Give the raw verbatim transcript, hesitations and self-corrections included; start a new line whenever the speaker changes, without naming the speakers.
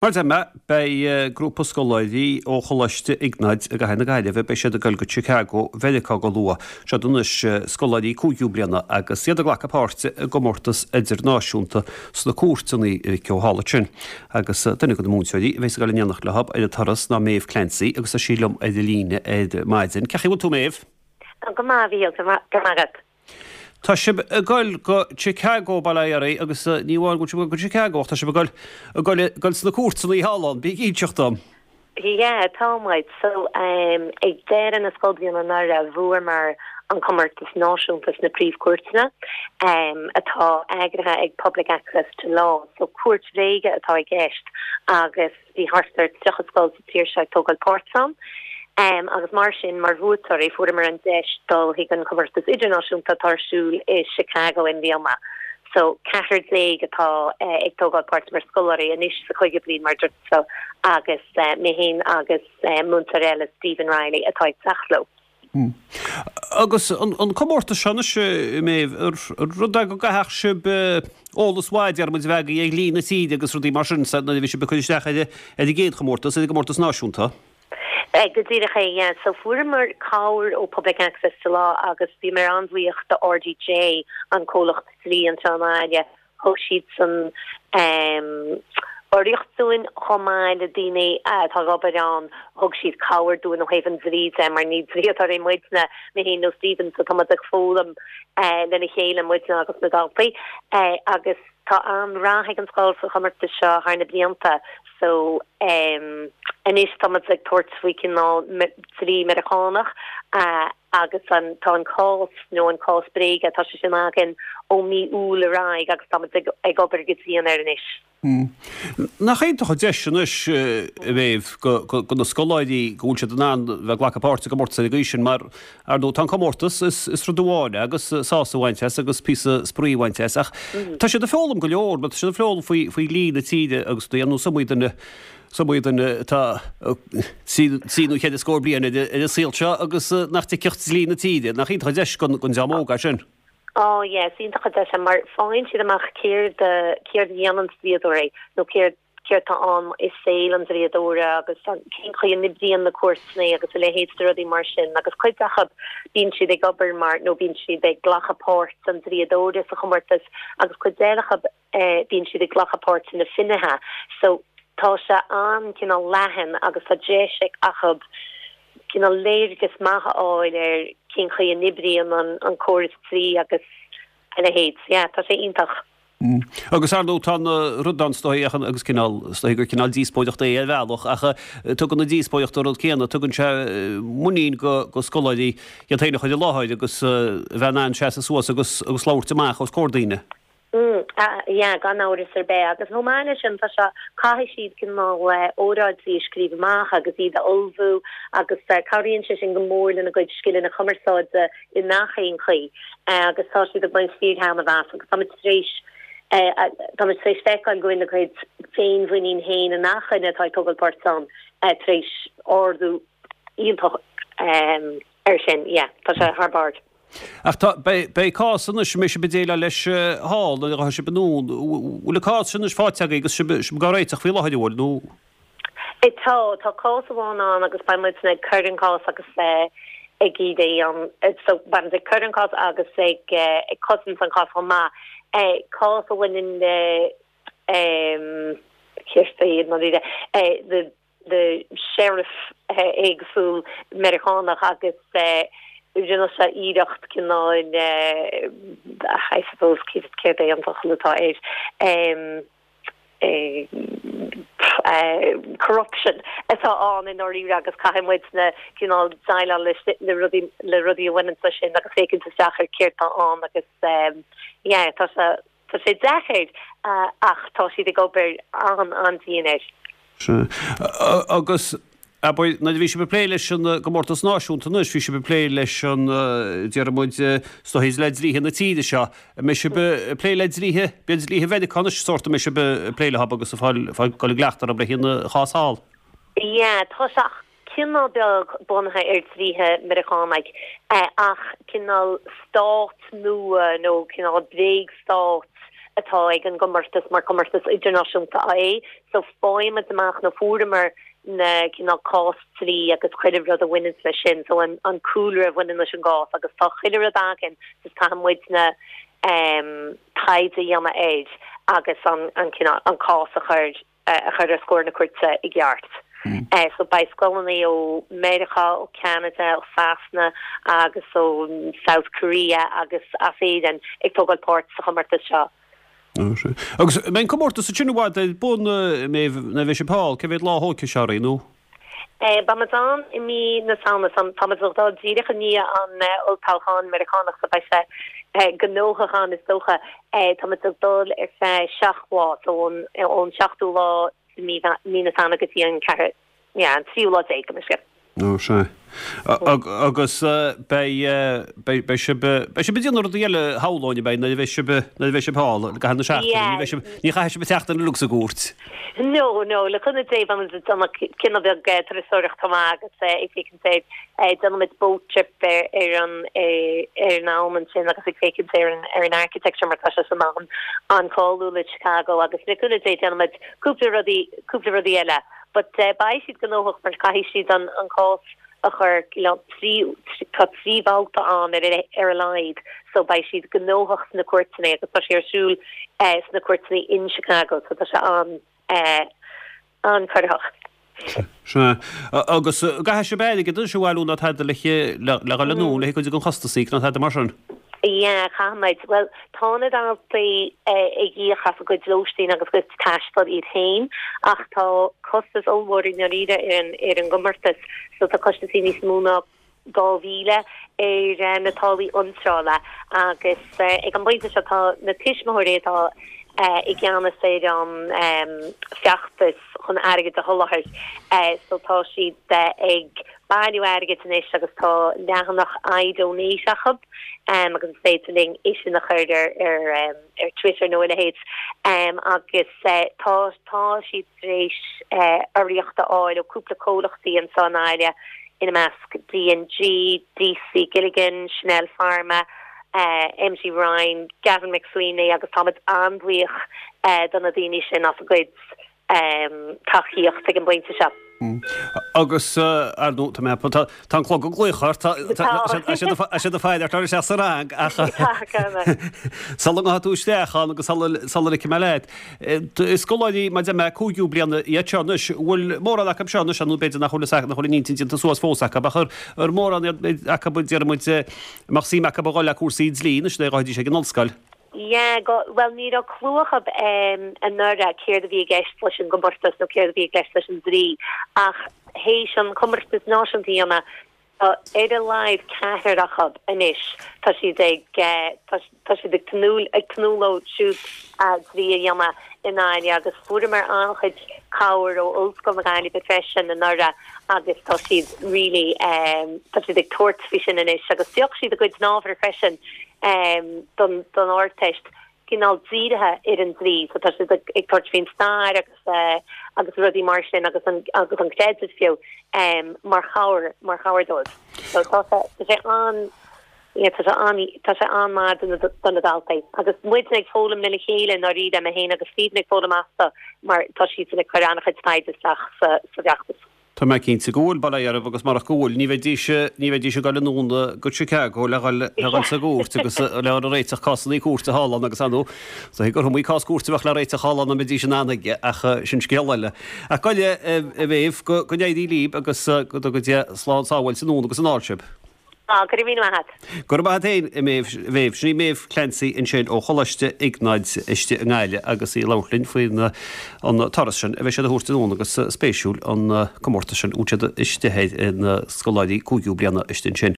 Mar a deir mé, beidh grúpa scoláirí ó Choláiste Iognáid i gcathair na Gaillimhe, beidh siad ag dul go Chicago, Mheiriceá go luath. Siod anois scoláirí cúigiú bliana agus iad ag glacadh páirte i gcomórtas idirnáisiúnta sna cúirteanna a mhic ó thall ansin. Agus duine de na múinteoirí a bheas ag dul in éineacht leo ar an turas ná Méabh Clancy agus tá sí liom ar an líne ar maidin. Cén chaoi a bhfuil tú Méabh?
Go maith, a Mhíchíl, go maith agat.
Tá sibh ag dul go Chicago, bail ó Dhia oraibh, agus ní amháin go bhfuil sibh ag dul go Chicago ach tá sibh ag dul ag dul ag dul sna cúirteanna thall ann. Bí ag inseacht dom.
Yeah, tá muid. So, um, ag deireadh na scoilbhliana anuraidh bhuamar an comórtas náisiúnta sna príomhchúirteanna um, atá eagraithe ag Public Access to Law. So cúirt bhréige atá i gceist agus bhí thart ar tríocha scoil sa tír seo ag tógáil páirt ann. Um, agus mar sin mar bhuaiteoirí fuaireamar an deis dul chuig an comórtas idirnáisiúnta atá ar siúl i Chicago i mbliana. So ceathrar déag atá uh, ag tógáil páirt mar scoláirí anois sa chúigiú bliain mar dúirt so agus uh, mé féin agus uh, múinteoir eile Stephen Riley atá ag teacht leo.
Hmm. Agus an, an comórtas seo anois Méabh rud é go gcaithfeadh sibh eolas maith déarfaidh muid a bheith agaibh ar dhlí na tíre agus rudaí mar sin nuair a bhí sibh ag cur isteach ar ar an gcéad chomórtas ar an gcomórtas náisiúnta.
Eh, go díreach é yeah. So fuaireamar cabhair ó Public Access to Law agus bhíomar an-bhuíoch do RDJ an comhlacht dlí anseo i mbaile thug siad san um, urraíocht dúinn chomh maith le daoine atá ag obair ann thug siad cabhair dúinn ó thaobh an dlí de mar ní dlíodóirí muidne mé féin nó Stephen so tá muid ag foghlaim uh, lena chéile muidne agus na daltaí uh, agus tá an-rath ag an scoil sa chomórtas seo thar na blianta so um, anois tá muid ag tabhairt faoi cineál dlí Meiriceánach uh, agus an tá an cás nó an cás bréige tá sé sin againn ó mí Iúil ar aghaidh agus tá muid ag, ag obair go dian air anois.
Hmm. Nach iontach an deis anois a Mhéabh go go na scoláirí go bhfuil siad in ann bheith ag glacadh páirt i gcomórtas ar an gcaoi sin mar ar ndóigh tá an comórtas is is rud amháin agus sásamh a bhaint as agus píosa spraoi a bhaint as ach tá siad ag foghlaim go leor mar tá siad ag foghlaim faoi faoi dhlí na tíre agus do dhéanamh sumaí duine sumaí duine atá trí nó ceithre scór bliain ar ar an saol seo agus nach dtuigfeadh dlí na tíre nach iontach an deis don don dream óg é sin.
Oh yes, iontach an deis mar faigheann siad amach céard céard a dhéanann dlíodóirí nó céard céard tá ann i saol an dlíodóra agus cén chaoi a n-oibríonn na cúirteanna agus a leithéid de rudaí mar sin agus cuid acu bíonn siad ag obair mar nó bíonn siad ag glacadh páirt an dlíodóra sa chomórtas agus cuid eile acu eh, bíonn siad ag glacadh páirt na finnéithe. So tá sé an cineál leathan agus tá deis acu cineál léargas maith a fháil ar cén chaoi a n-oibríonn an an córas dlí agus a leithéid. Yeah, tá sé iontach.
Mm. Agus ar ndóigh tá rud ann is dóigh agus cineál is dóigh gur cineál díospóireacht é ar bhealach ach tugann na díospóireachta rud céanna tugann sé muinín go go scoláirí iad féin a chur i láthair agus bheith in ann seasamh suas agus agus labhairt amach os comhair daoine.
Mm, uh, yeah, gan amhras ar bith agus chomh maith leis sin tá sé caithfidh siad cineál óráidí a scríobh amach agus iad a ullmhú agus uh, cabhraíonn sé sin go mór lena gcuid scileanna cumarsáide i ngach aon chaoi uh, agus tá siad ag baint fíorthaitneamh as agus tá tar éis uh, tá tar éis feiceáil go bhfuil a gcuid féinmhuinín féin i ngach duine atá ag tógáil páirt ann uh, tar éis ardú iontach um, ar sin yeah, tá sé thar barr.
Ach tá beidh cás anois mé sibh ag déileáil leis thall nuair a sibh anonn bhfuil an cás sin anois faighte agaibh agus sibh sibh á réiteach faoi láthair bhfuil nó
É tá tá cás amháin ann agus beidh muid ag cur an cás agus uh, ag iad an so beidh ag cur an cás agus ag uh, ag cosaint an cás chomh maith. Uh, cás a bhaineann le um, uh, the the sheriff uh, éagsúil Meiriceánach agus uh, rinne sé iarracht cineál uh, I suppose céard é an focal atá air um, uh, uh, corruption atá ann i ndáiríre agus caithfidh muid na cineál déileáil le le rudaí le rudaí a bhaineann leis sin agus féachaint isteach ar céard atá ann agus um, yeah, tá sé tá sé deacair uh, ach tá siad ag obair an an-dian air.
Agus abair nuair a bhí sibh ag plé leis an gcomórtas náisiúnta anois, bhí sibh ag plé leis an déarfaidh muid is dóigh le dlíthe na tíre seo. Mbeidh sibh ag plé le dlíthe b'fhéidir dlíthe Mheiriceá anois sórt mbeidh sibh ag plé le agus fáil fáil go gleachtar le haghaidh an chás thall.
Yeah, tá sé cineál beag bunaithe ar dlíthe Meiriceánaigh eh, ach cineál stát nua nó cineál bréagstát atá ag an gcomórtas mar comórtas idirnáisiúnta é so faighimid amach nó fuaireamar na cineál cásdlí agus chuile rud a bhaineann leis sin so an an cúlra a bhaineann leis an gcás agus tá chuile rud againn just caithfidh muidne um, taighde a dhéanamh air agus an an cineál an cás a chur a chur os comhair na cúirte i gceart. Mm. Uh, so beidh scoileanna ó Meiriceá ó Canada ó Sasana agus ó South Korea agus as Éirinn ag tógáil páirt sa chomórtas seo.
Agus mbeidh an comórtas sin i bhfad ar bun na bheidh sé Paul, cé mhéad lá thógfaidh sé oraibh nó?
Eh, Beimid ann i mí na Samhna táimid ag dul díreach i ndiaidh an olltoghchán Meiriceánach so beidh sé gnóthach ann is dócha táimid ag dul ar feadh seacht lá ón ón seachtú lá mí na Samhna go dtí an ceathair an tríú lá déag go sé.
Ó sé. Agus beidh beidh sibh beidh sibh ag déanamh rudaí eile shamhlóinn beidh nuair a bheidh sibh nuair a bheidh sibh thall i gcaitheamh na seachtaine ní bheidh sibh ní chaithfidh sibh an tseachtain uilig sa gcúirt.
No, no, le cúnamh Dé beimid ag déanamh cineál beag turasóireacht chomh maith agus ag féachaint ar déanaimid boat trip ar ar an ar an abhainn ansin agus ag féachaint ar an ar an architecture mar tá sé san an an-cháiliúil i Chicago agus le cúnamh Dé déanaimid cúpla rudaí cúpla rudaí eile. But uh, beidh siad gnóthach mar caithfidh siad an an cás a chur trí tá trí bhabhta ann ar ar a laghad so beidh siad gnóthach sna cúirteanna agus tá sé ar siúl eh, sna cúirteanna in Chicago so tá sé an eh, an-chorraitheach.
Sea. Agus caithfidh sibh airgead a bhailiú nó tada le le le le nó le cuid den chostas nó tada mar sin.
Yeah, caithfimid. Well, tá na daltaí ag íoc as a gcuid lóistín agus cuid taistil iad féin ach tá costas ollmhór i ndáiríre ar an ar an gcomórtas so tá costas níos mó ná dhá mhíle ar na táillí iontrála agus ag an bpointe seo tá na tuismitheoirí atá i gceannas ar an um, feachtas chun airgead a sholáthar so tá siad ag bailiú airgead anois agus tá leathanach iDonate acu um, agus is féidir linn é sin a chur ar ar, um, ar Twitter nó a leithéid um, agus uh, tá tá siad tar éis uh, urraíocht a fháil ó cúpla comhlachtaí anseo i nGaillimh ina measc D&G, DC Gilligan, Chanel Pharma, uh, MG Ryan, Gavin McSweeney agus táimid an-bhuíoch uh, do na daoine sin as a gcuid um, tacaíocht ag an bpointe seo.
Mm. Agus ar nó tá mé tá an clog ag glaoch sé do féidir tar sé sa rang ach sula ngabhfaidh tú isteach ann agus sula ligfidh mé leat. Scoláirí mar de mé cúigiú bliana iad seo anois bhfuil mórán acu seo anois nó b'fhéidir nach bhfuil nach bhfuil an intinn déanta suas fós acu ach ar mórán acu deir muid mbeadh suim acu a dhul le cúrsaí dlí anois le ghabháil ag an ollscoil.
Yeah, go, well ní raibh clue acu um, anuraidh céard a bhí i gceist leis an gcomórtas nó céard a bhí i gceist leis an dlí ach théis an comórtas náisiúnta a ar a laghad ceathrar acu anois tá siad ag tá siad ag tnúth ag tnúth leo siúd dlí a dhéanamh i nGaillimh agus fuaireamar an-chuid cabhair ó Ollscoil na Gaillimhe freisin anuraidh agus tá siad really um, tá siad ag tabhairt faoi sin anois agus phioc siad a gcuid ábhar freisin um, don don Ardteist cineál dírithe ar an dlí so tá siad ag tabhairt faoin stair agus uh, agus rudaí mar sin agus an agus an creideamh fiú um, mar chabhair mar chabhair dóibh. So tá sé an tá sé an tá sé an-mhaith do na daltaí agus muid ag foghlaim lena chéile ndáiríre mé féin agus Stephen ag foghlaim astu mar tá siad ag cur an-chuid taighde isteach sa sa bhfeachtas.
Tá mé cinnte go bhfuil bail ó Dhia oraibh agus marach go bhfuil ní bheidís ní bheidís ag dul anonn go Chicago le le dhul sa gcúirt agus le a réiteach cásanna cúirte thall ann agus anú. So gur iomaí cás cúirte bheadh le réiteach thall ann a mbeidís in ann aige ach sin scéal eile. Ach go a Mhéabh go go n-éirí libh agus go go dté slán sábháilte anonn agus anall sibh.
Á go raibh míle maith agat.
Go raibh maith agat féin a Mhéabh sin í Méabh Clancy ansin ó Choláiste Iognáid istigh i nGaillimh agus í ag labhairt linn faoin an turas sin a bheidh siad a thabhairt anonn agus spéisiúil an comórtas sin úd siad istigh ar na scoláirí cúigiú bliana istigh ansin.